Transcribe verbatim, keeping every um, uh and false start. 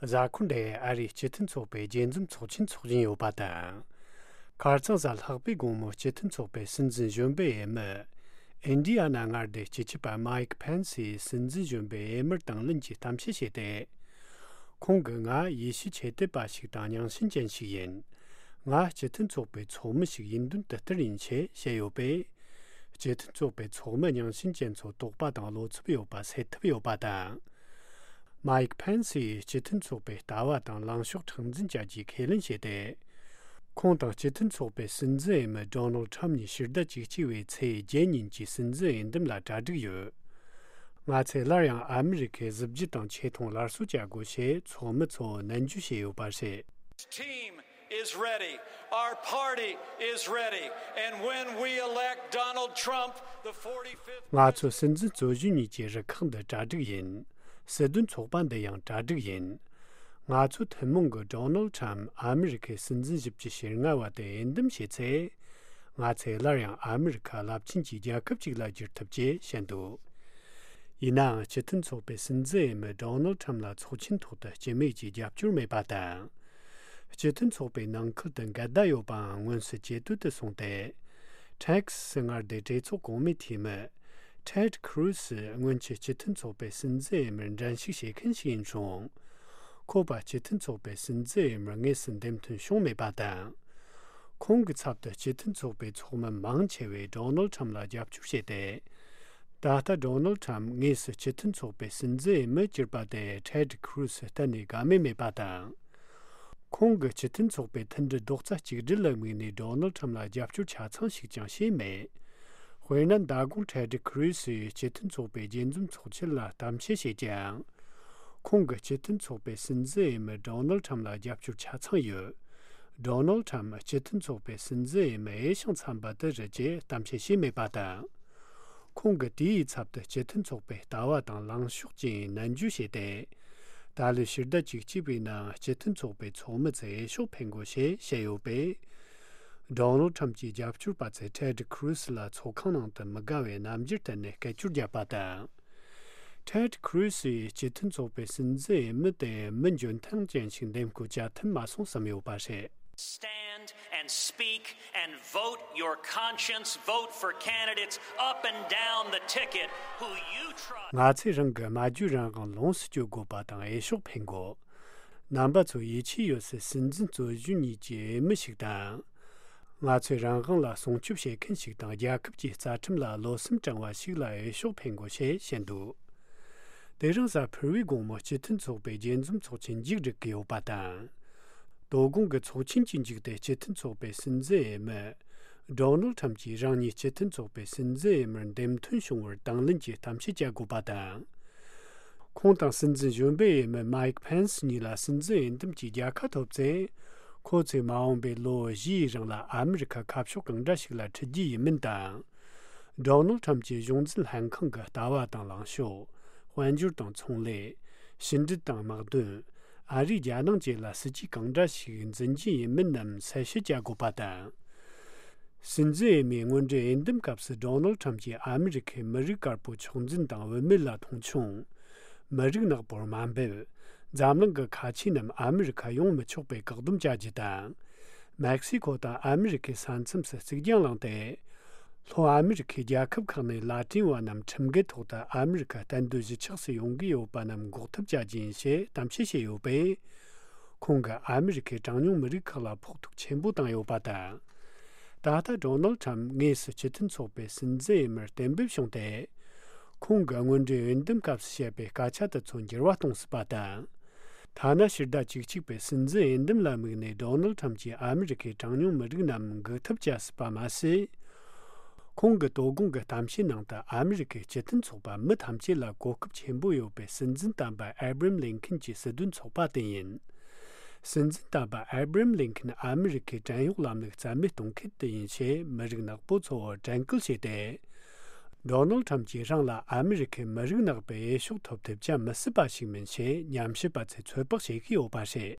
གཟའ་འཁོར་འདིར་ཨ་རིའི་སྤྱི་མཐུན་ཚོགས་པའི་རྒྱས་འཛོམས་ཚོགས་ཆེན་འཚོགས་བཞིན་ཡོད་པ་དང་། ཁ་རྩང་གཟའ་ལྷག་པའི་དགོང་མོ་སྤྱི་མཐུན་ཚོགས་པའི་སྲིད་འཛིན་གཞོན་པའི་འོས་མི། ཨིན་ཌི་ཡ་ན་མངའ་སྡེའི་སྤྱི་ཁྱབ་པ་མའིག་ཕེན་སིས་སྲིད་འཛིན་གཞོན་པའི་འོས་མིར་དང་ལེན་གྱི་གཏམ་བཤད་བྱས་ཏེ། ཁོང་གིས་ང་ཡེ་ཤུ་ཆོས་དད་པ་ཞིག་དང་རྙིང་ཞེན་ཅན་ཞིག་ཡིན། ང་སྤྱི་མཐུན་ཚོགས་པའི་ཚོགས་མི་ཞིག་ཡིན་དོན་དེ་ལྟར་ཡིན་ཞེས་བཤད་ཡོད་པས། སྤྱི་མཐུན་ཚོགས་པའི་ཚོགས་མི་རྙིང་ཞེན་ཅན་ཚོ་དོགས་པ་དང་བློ་འཚབ་ཡོད་པ་སེལ་ཐུབ་ཡོད་པ་དང་། མའིག་ཕེན་སིས་སྤྱི་མཐུན་ཚོགས་པའི་ལྟ་བ་དང་ལངས་ཕྱོགས་མཁྲེགས་འཛིན་བྱ་རྒྱུའི་ཁས་ལེན་བྱས་ཏེ། ཁོང་དང་སྤྱི་མཐུན་ཚོགས་པའི་སྲིད་འཛིན་འོས་མི་ཌོ་ནལ་ཁྲམ་གཉིས་ཕྱི་ཟླ་བཅུ་གཅིག་པའི་ཚེས་བརྒྱད་ཉིན་གྱི་སྲིད་འཛིན་འོས་འདེམས་ལ་གྲ་སྒྲིག་ཡོད། ང་ཚོས་སླར་ཡང་ཨ་མི་རི་ཁའི་གཟི་བརྗིད་དང་ཆེ་མཐོང་སླར་གསོ་བྱ་དགོས་ཞེས་ཚོགས་མི་ཚོར་ནན་བརྗོད་བྱས་ཡོད་པ་རེད། Team is ready. Our party is ready. And when we elect Donald Trump, the forty-fifth ང་ཚོ་སྲིད་འཛིན་གཙོ་གཞོན་གཉིས་ཀྱི་རུ་ཁག་འདི་གྲ་སྒྲིག་ཡིན། སྲིད་དོན་ཚོགས་པ་འདི་ཡང་གྲ་སྒྲིག་ཡིན། ང་ཚོ་ཐུན་མོང་གི་ཌོ་ནལ་ཁྲམ་ཨ་མི་རི་ཁའི་སྲིད་འཛིན་བཞི་བཅུ་ཞེ་ལྔ་བ་དེ་འོས་འདེམས་བྱས་ཚེ། ང་ཚོས་སླར་ཡང་ཨ་མི་རི་ཁ་རླབས་ཆེན་གྱི་རྒྱལ་ཁབ་ཅིག་ལ་འགྱུར་ཐུབ་ཅེས་བཤད་འདུག་ཡིན་ནའང་སྤྱི་མཐུན་ཚོགས་པའི་སྲིད་འཛིན་འོས་མི་ཌོ་ནལ་ཁྲམ་ལ་ཚོགས་ཆེན་ཐོག་ཏུ་སྤྱི་མོས་ཀྱི་རྒྱབ་སྐྱོར་མེད་པ་དང་། སྤྱི་མཐུན་ཚོགས་པའི་ནང་ཁུལ་དུ་འགལ་ཟླ་ཡོད་པའང་མངོན་གསལ་ཇེ་དོད་དུ་སོང་སྟེ། ཊེག་སི་སི་མངའ་སྡེའི་གྲོས་ཚོགས་གོང་མའི་འཐུས་མི། ཊེད་ཁུ་རུ་སི་སྔོན་ཆད་སྤྱི་མཐུན་ཚོགས་པའི་སྲིད་འཛིན་འོས་མིར་འགྲན་ཞུགས་བྱེད་མཁན་ཞིག་ཡིན་རུང་། ཁོ་པ་སྤྱི་མཐུན་ཚོགས་པའི་སྲིད་འཛིན་འོས་མིར་དངོས་སུ་འདེམས་ཐོན་བྱུང་མེད་པ་དང་། ཁོང་གི་ཚབ་ཏུ་སྤྱི་མཐུན་ཚོགས་པའི་ཚོགས་མི་མང་ཆེ་བས་ཌོ་ནལ་ཁྲམ་ལ་རྒྱབ་སྐྱོར་བྱས་ཏེ། ད་ལྟ་ཌོ་ནལ་ཁྲམ་དངོས་སུ་སྤྱི་མཐུན་ཚོགས་པའི་སྲིད་འཛིན་འོས་མིར་གྱུར་པ་དེ་ཊེད་ཁུ་རུ་སི་གཏན་ནས་དགའ་མོས་མེད་པ་དང་། ཁོང་གིས་སྤྱི་མཐུན་ཚོགས་པའི་མཐུན་སྒྲིལ་རྡོག་རྩ་གཅིག་སྒྲིལ་ལ་དམིགས་ནས་ཌོ་ནལ་ཁྲམ་ལ་རྒྱབ་སྐྱོར་ཆ་ཚང་ཞིག་ཀྱང་བྱས་མེད། དཔེར་ན་མདང་དགོང་ཊེད་ཁུ་རུ་སིས་སྤྱི་མཐུན་ཚོགས་པའི་རྒྱས་འཛོམས་ཚོགས་ཆེན་ལ་གཏམ་བཤད་བྱས་ཀྱང་། ཁོང་གིས་སྤྱི་མཐུན་ཚོགས་པའི་སྲིད་འཛིན་འོས་མི་ཌོ་ནལ་ཁྲམ་ལ་རྒྱབ་སྐྱོར་ཆ་ཚང་ཡོད། ཌོ་ནལ་ཁྲམ་སྤྱི་མཐུན་ཚོགས་པའི་སྲིད་འཛིན་འོས་མི་འོས་ཤིང་འཚམ་པ་དེ་རེད་ཅེས་གཏམ་བཤད་བྱས་མེད་པ་དང་། ཁོང་གིས་དེའི་ཚབ་ཏུ་སྤྱི་མཐུན་ཚོགས་པའི་ལྟ་བ་དང་ལངས་ཕྱོགས་ཀྱི་ནན་བརྗོད་བྱས་ཏེ། ད་ལོའི་ཕྱི་ཟླ་བཅུ་གཅིག་པའི་ནང་སྤྱི་མཐུན་ཚོགས་པའི་ཚོགས་མི་ཚོས་འོས་ཤོག་འཕེན་དགོས་ཞེས་བཤད་ཡོད་པས། ཌོ་ནལ་ཁྲམ་གྱི་རྒྱབ་སྐྱོར་པ་ཚོས་ཊེད་ཁུ་རུ་སི་ལ་ཚོགས་ཁང་ནང་དུ་མི་དགའ་བའི་རྣམ་འགྱུར་བསྟན་ནས་སྐད་ཅོར་བརྒྱབ་པ་དང་། ཊེད་ཁུ་རུ་སིས་སྤྱི་མཐུན་ཚོགས་པའི་སྲིད་འཛིན་འོས་མི་དེ་མི་འཇོན་ཐང་ཅན་ཞིག་འདེམས་བསྐོ་བྱ་ཐུབ་མ་སོང་བསམ་ཡོད་པ་རེད། Stand and speak and vote your conscience. Vote for candidates up and down the ticket who you trust. ང་ཚོས་རང་གི་སྨྲ་བརྗོད་རང་དབང་ལོངས་སུ་སྤྱོད་དགོས་པ་དང་འོས་ཤོག་འཕེན་དགོས། རྣམ་པ་ཚོ་ཡིད་ཆེས་ཡོད་སའི་སྲིད་འཛིན་གཙོ་གཞོན་གཉིས་ཀྱི་འོས་མི་ཞིག་དང་། ང་ཚོའི་རང་དབང་ལ་སྲུང་སྐྱོབ་བྱེད་མཁན་ཞིག་དང་རྒྱལ་ཁབ་ཀྱི་རྩ་ཁྲིམས་ལ་བློ་སེམས་དྲང་བ་ཞིག་ལ་འོས་ཤོག་འཕེན་དགོས་ཞེས་བཤད་འདུག་དེ་རིང་གཟའ་ཕུར་བུའི་དགོང་མོ་སྤྱི་མཐུན་ཚོགས་པའི་རྒྱས་འཛོམས་ཚོགས་ཆེན་མཇུག་སྒྲིལ་གྱི་ཡོད་པ་དང་། དོ་དགོང་གི་ཚོགས་ཆེན་གྱི་མཇུག་ཏུ་སྤྱི་མཐུན་ཚོགས་པའི་སྲིད་འཛིན་འོས་མི་ཌོ་ནལ་ཁྲམ་གྱིས་རང་ཉིད་སྤྱི་མཐུན་ཚོགས་པའི་སྲིད་འཛིན་འོས་མིར་འདེམས་ཐོན་བྱུང་བར་དང་ལེན་གྱི་གཏམ་བཤད་བྱ་དགོས་པ་དང་། ཁོང་དང་སྲིད་འཛིན་གཞོན་པའི་འོས་མི་མའིག་ཕེན་སི་གཉིས་ལ་སྲིད་འཛིན་འོས་འདེམས་ཀྱི་རྒྱལ་ཁ་ཐོབ་ཚེ། ཁོ་ཚོས་མ་འོངས་པའི་ལོ་བཞིའི་རིང་ལ་ཨ་མི་རི་ཁ་ཁ་ཕྱོགས་གང་འདྲ་ཞིག་ལ་ཁྲིད་རྒྱུ་ཡིན་མིན་དང་། ཌོ་ནལ་ཁྲམ་གྱི་གཞུང་འཛིན་ལྷན་ཁང་གི་ལྟ་བ་དང་ལངས་ཕྱོགས། དཔལ་འབྱོར་དང་ཚོང་ལས། ཕྱི་འབྲེལ་དང་དམག་དོན། ཨ་རིས་རྒྱ་ནག་བཅས་ལ་སྲིད་ཇུས་གང་འདྲ་ཞིག་འཛིན་རྒྱུ་ཡིན་མིན་རྣམས་གསལ་བཤད་བྱ་དགོས་པ་དང་། སྲིད་འཛིན་འོས་མིའི་སྔོན་འགྲོའི་འོས་འདེམས་སྐབས་སུ་ཌོ་ནལ་ཁྲམ་གྱིས་ཨ་མི་རི་ཁའི་མི་རིགས་དཀར་པོ་མཆོག་འཛིན་དང་བུད་མེད་ལ་མཐོང་ཆུང་། མི་རིགས་ནག་པོར་དམའ་འབེབས། འཛམ་གླིང་གི་ཁ་ཆེ་རྣམས་ཨ་མི་རི་ཁ་ཡོང་མི་ཆོག་པའི་བཀག་སྡོམ་བྱ་རྒྱུ་དང་། མེག་སི་ཁོ་དང་ཨ་མི་རི་ཁའི་ས་མཚམས་སུ་རྩིག་གྱང་བསླངས་ཏེ། ལྷོ་ཨ་མི་རི་ཁའི་རྒྱལ་ཁབ་ཁག་ནས་ལ་ཏིན་བ་རྣམས་ཁྲིམས་འགལ་ཐོག་ཏུ་ཨ་མི་རི་ཁ་གཏན་སྡོད་གཞིས་ཆགས་སུ་ཡོང་གི་ཡོད་པ་རྣམས་འགོག་ཐབས་བྱ་རྒྱུ་ཡིན་ཞེས་གཏམ་བཤད་བྱས་ཡོད་པས། ཁོང་གིས་ཨ་མི་རི་ཁའི་གྲངས་ཉུང་མི་རིགས་ཁག་ལ་ཕོག་ཐུག་ཆེན་པོ་བཏང་ཡོད་པ་དང་། ད་ལྟ་ཌོ་ནལ་ཁྲམ་དངོས་སུ་སྤྱི་མཐུན་ཚོགས་པའི་སྲིད་འཛིན་འོས་མིར་གཏན་འབེབས་བྱུང་སྟེ། ཁོང་གིས་སྔོན་འགྲོའི་འོས་འདེམས་སྐབས་སུ་བཤད་པའི་སྐད་ཆ་དེ་ཚོ་འགྱུར་བ་གཏོང་སྲིད་པ་དང་། ཐ་ན་ཕྱི་ཟླ་བཅུ་གཅིག་པའི་སྲིད་འཛིན་འོས་འདེམས་ལ་དམིགས་ནས་ཌོ་ནལ་ཁྲམ་གྱིས་ཨ་མི་རི་ཁའི་གྲངས་ཉུང་མི་རིགས་རྣམས་འགུག་ཐབས་བྱ་སྲིད་པ་མ་ཟད། ཁོང་གི་དོ་དགོང་གི་གཏམ་བཤད་ནང་དུ་ཨ་མི་རི་ཁའི་སྤྱི་མཐུན་ཚོགས་པ་མི་ཐམས་ཅད་ལ་གོ་སྐབས་ཆེན་པོ་ཡོད་པའི་སྲིད་འཛིན་དམ་པ་ཨེ་བྷ་རམ་ལིན་ཁན་གྱི་སྲིད་དོན་ཚོགས་པ་དེ་ཡིན། སྲིད་འཛིན་དམ་པ་ཨེ་བྷ་རམ་ལིན་ཁན་ཨ་མི་རི་ཁའི་བྲན་གཡོག་ལམ་ལུགས་རྩ་མེད་གཏོང་མཁན་དེ་ཡིན་ཞེས་མི་རིགས་ནག་པོ་ཚོར་དྲན་སྐུལ་བྱས་ཏེ། ཌོ་ནལ་ཁྲམ་གྱིས་རང་ལ་ཨ་མི་རི་ཁའི་མི་རིགས་ནག་པའི་འོས་ཤོག་ཐོབ་ཐབས་བྱ་མི་སྲིད་པ་ཞིག་མིན་ཞེས་ཉམས་ཞིབ་པ་ཚོས་ཚོད་དཔག་བྱེད་ཀྱི་ཡོད་པ་རེད།